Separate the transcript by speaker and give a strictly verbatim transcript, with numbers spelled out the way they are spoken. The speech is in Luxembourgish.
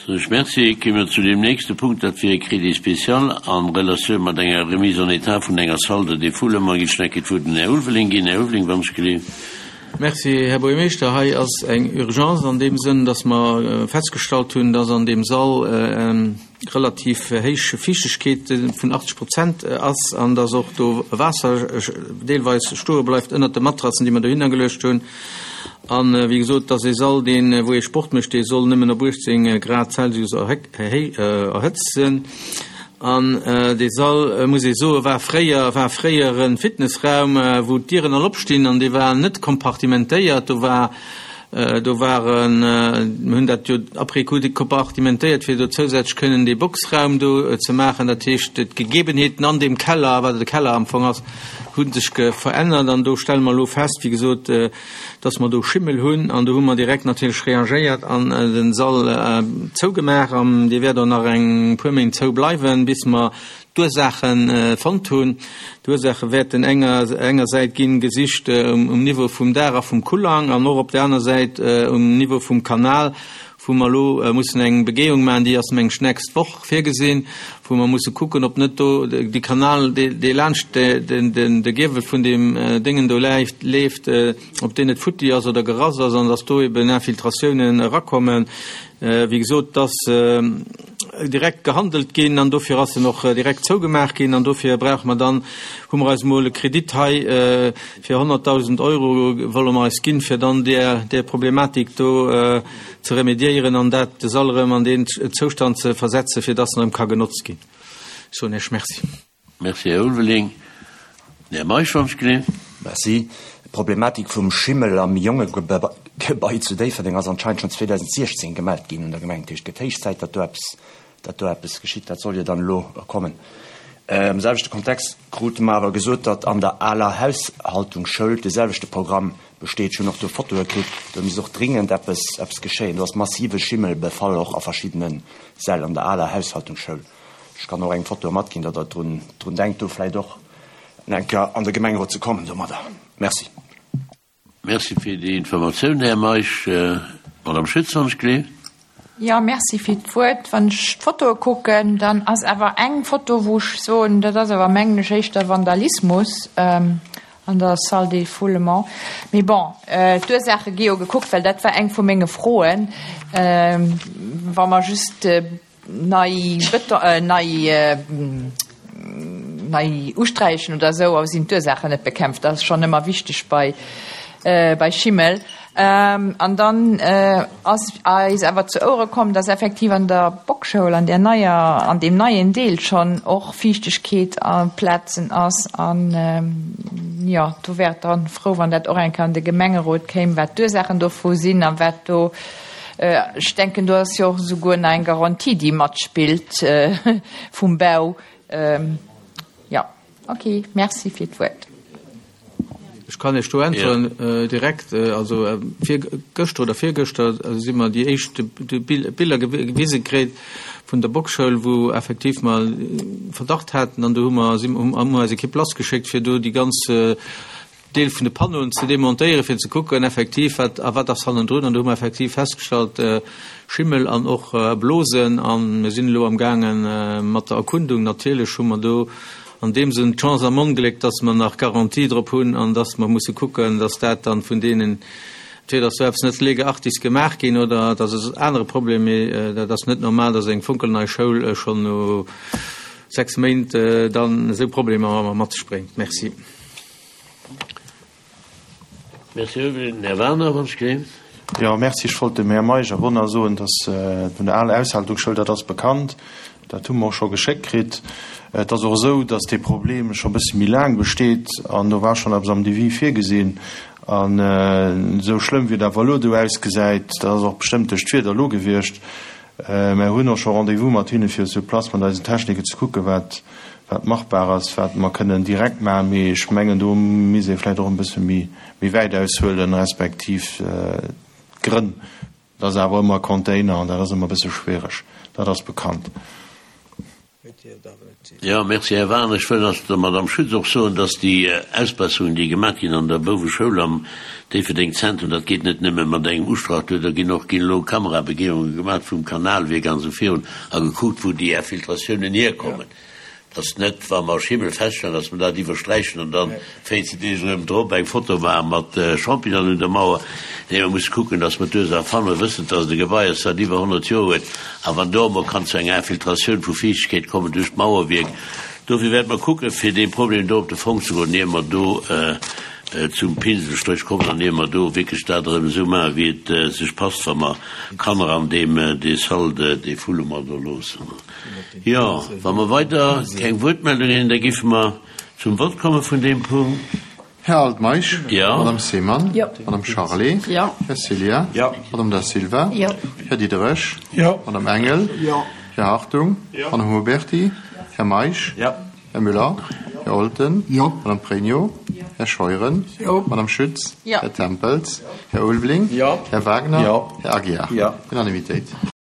Speaker 1: Soen ech Merci. Kéime mer zu deem nächste Punkt, dat wier e Crédit spécial a Relatioun mat enger Remise en état vun enger Salle de défoulement. Ginn ech nach eng Kéier d'Wuert dem Här Ulveling ginn. Här Ulveling, wann ech geleeft.
Speaker 2: Merci, Här Buergermeeschter. Hei ass eng Urgence an deem Sënn, dass mer festgestallt hunn, dass an deem Sall relativ héich Fiichtegkeet vun achtzeg Prozent ass an dass och do Waasser deelweis stoe bleift ënnert de Matrassen, déi mer dohinner geluecht hunn. An, wéi gesot, dass ee Sall, deen, wou ee Sport mécht, dee soll nëmmen op uechtzéng Grad Celsius erhëtzt sinn. An dee Sall, muss ee soen, war fréier, war fréier e Fitnessraum, wou d'Dieren all opstinn, an dee war net kompartimentéiert. Do war, do waren, mir hunn dat jo après coup kompartimentéiert, fir do zousätzlech kënnen dee Boxraum do ze maachen. Dat heescht, d'Gegebenheeten an deem Keller, wat e Keller am Fong ass, hu sech verännert. An do stelle mer elo fest, wéi gesot, dass mer do Schimmel hunn. An do hu mer direkt natierlech reagéiert an den Sall zougemaach. An dee wäert och nach eng puer Méint zou bleiwen, bis mer d'Ursaache fonnt hunn. D'Ursaache wäerten enger engersäit ginn gesicht um Niveau vum Daach a vum Kullang an och op der aner Säit um Niveau vum Kanal, wou mer elo mussen eng Begehung maachen, déi ass meng ech d'nächst Woch virgesinn, wou mer musse kucken, ob net do dee Kanal, dee laanscht de Giewel vun deem Déngen do leeft, ob deen net futti ass oder gerass ass an dass do eben Infiltratiounen erakommen. Wéi gesot, et ass direkt gehandelt ginn an dofir ass en och direkt zougemaach ginn an dofir brauche mer dann, hu mer eis emol e Kredit hei fir honnertdausend Euro wolle mer eis ginn, fir dann där, där Problematik do ze remédiéieren an dat, de Sall erëm an deen Zoustand ze versetzen, fir dass en erëm ka genotzt ginn. Ech soen Iech Merci.
Speaker 1: Merci, Här Ulveling. Den Här Meisch, wann ech geleeft.
Speaker 3: Merci. D'Problematik vum Schimmel am Jongegebai zu Déifferdeng ass anscheinend schonn zweedausendsiechzéng gemellt ginn un der Gemeng. Dat heescht, et gëtt héich Zäit, datt do eppes, datt do eppes geschitt. Dat soll jo dann elo kommen. Am selwechte Kontext krute mer awer gesot, datt an der aler Haushaltungsschoul de selwechte Programm besteet. Ech hunn och do Fotoe kritt. Do misst och dringend eppes, eppes geschéien. Do ass massive Schimmelbefall och a verschiddene Säll an der aler Haushaltungsschoul. Ech kann och eng Foto matginn, datt Der drun, drun denkt, do vläicht och eng Kéier an de Gemengerot ze kommen domadder. Merci.
Speaker 1: Merci fir déi Informatioun, Här Meisch. Madame Schütz, wann ech gleef.
Speaker 4: Jo, merci fir d'Wuert. Wann ech d'Fotoe kucken, dann ass awer eng Foto, wou ech soen, dat ass awer, mengen ech, éischter Vandalismus an der Salle des Foulements. Mee bon, d'Ursaache gi jo gekuckt, well dat war eng vu menge Froen. Wa mer just nei Beton, nei, nei usträichen oder esou, awer sinn d'Ursaachen net bekämpft. Dat ass schonn ëmmer wichteg bei, bei Schimmel. An dann ass eis awer zu Ouere komm, dass effektiv an der Bockschoul, an där neier, an deem neien Deel schonn och Fiichtegkeet a Plazen ass. An, jo, do wär et dann frou, wann dat och eng Kéier an de Gemengerot kéim, wat d'Ursaachen dovu sinn a wat do, Ech denken, do ass jo och esouguer nach eng Garantie, déi matspillt vum Bau. Jo, okay, merci fir d'Wuert.
Speaker 2: Ech kann Iech do äntweren direkt. Also virgëschter oder virgëschter si mer déi éischt Biller gewise kritt vun der Bockschoul, wou effektiv mer Verdacht haten. An do hu mer, hu mer eis Ekipp lassgeschéckt, fir do déi ganz Deel vun de Panneauen ze demontéieren, fir ze kucken effektiv, wat a wat ass hannendrun. An do hu mer effektiv festgestallt, Schimmel an och Blosen. A mir sinn elo amgaange mat der Erkundung. Natierlech hu mer do an deem Sënn d'Chance am Ongléck, dass mer nach Garantie drop hunn an dass mer musse kucken, dass dat dann vun deenen, entweder ass do eppes net lege artis gemaach ginn oder et ass e anere Problem, mee dat ass net normal, dass eng fonkelnei Schoul schonn no sechs Méint dann esou Problemer mat sech bréngt. Merci.
Speaker 1: Merci, Här Werner, wann ech gleef.
Speaker 5: Jo, merci. Ech wollt dem Här Meisch awer och nach soen, dass vun der aler Aushaltungsschoul, dat ass bekannt, dat hu mer och scho geschéckt kritt. Et ass och esou, dass dee Problem scho e bësse méi laang besteet an do war schonn eppes am Devis virgesinn. An esou schlëmm, wéi et awer elo do ausgesäit, dat ass och bestëmmt duerch d'Wieder elo gewiescht, Mär hunn och scho Rendez-vous mat hinne fir sur place mat eisen Techniker ze kucken, wat wat machbar ass, wat mer kënnen direkt maachen. Mee ech mengen, do misst ee vläicht och e bësse méi méi wäit aushuelen, respektiv d'Grënn. Dat ass awer ëmmer Container an dat ass ëmmer e bësse schwiereg, dat ass bekannt.
Speaker 2: Et dierft awer net sinn.
Speaker 1: Jo, merci, Här Wagener. Ech wëll nach der Madame Schütz och soen, dass déi Ausbesserungen, déi gemaach ginn an der Bouweschoul am Déifferdeng Zentrum, dat geet net nëmme mat engem Ustrach duer, do ginn och ginn elo Kamerabegehunge gemaach vum Kanalwierk an esou virun a gekuckt, wou déi Infiltratiounen hierkommen. Dass net, wa mer Schimmel feststellen, dass mer dat iwwersträichen an dann véierzehn Deeg erëm drop eng Foto maache mat Champignonen un der Mauer. Nee, mer musse kucken, dass mer d'Ursaach fannen. Mer wëssen, dass et e Gebai ass, dat iwwer honnert Joer huet. A wann do emol kann zu enger Infiltratioun vu Fiichtegkeet kommen duerch d'Mauerwierk. Dofir wäerte mer kucken, fir deem Problem do op de Fong ze goen, ier mer do zum Pinselstréch kommen an ier mer do wierklech dat erëm esou maachen, wéi et sech passt, wa mer Kanner an deem, dee Salle de défoulement do loossen. Jo, wa mer weider keng Wuertmeldungen hunn, da géife mer zum Vott komme vun deem Punkt.
Speaker 6: Här Altmeisch?
Speaker 1: Jo.
Speaker 6: Madame Seemann?
Speaker 4: Jo.
Speaker 6: Madame Charlé?
Speaker 4: Jo.
Speaker 6: Här Ceglia?
Speaker 3: Jo.
Speaker 6: Madame Da Silva?
Speaker 4: Jo.
Speaker 6: Här Diderich?
Speaker 7: Jo.
Speaker 6: Madame Engel?
Speaker 7: Jo.
Speaker 6: Här Hartung?
Speaker 7: Jo.
Speaker 6: Madame Huberty? Här Meisch?
Speaker 3: Jo.
Speaker 6: Här Müller? Här Olten?
Speaker 7: Jo.
Speaker 6: Madame Pregno? Här Scheuren?
Speaker 7: Jo.
Speaker 6: Madame Schütz?
Speaker 4: Jo.
Speaker 6: Här Tempels? Här Ulveling?
Speaker 2: Jo.
Speaker 6: Här Wagner?
Speaker 5: Jo.
Speaker 6: Här Aguiar?
Speaker 5: Jo.
Speaker 6: Unanimitéit.